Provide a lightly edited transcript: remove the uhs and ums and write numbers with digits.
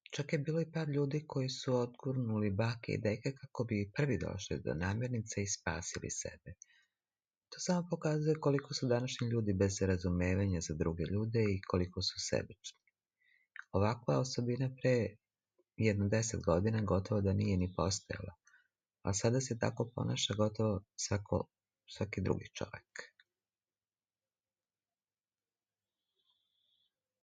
Čak je bilo i par ljudi koji su odgurnuli bake i deke kako bi prvi došli do namirnice i spasili sebe. To samo pokazuje koliko su današnji ljudi bez razumevanja za druge ljude i koliko su sebični. Ovakva osobina pre jedno 10 godina gotovo da nije ni postojala, a sada se tako ponaša gotovo svaki drugi čovjek.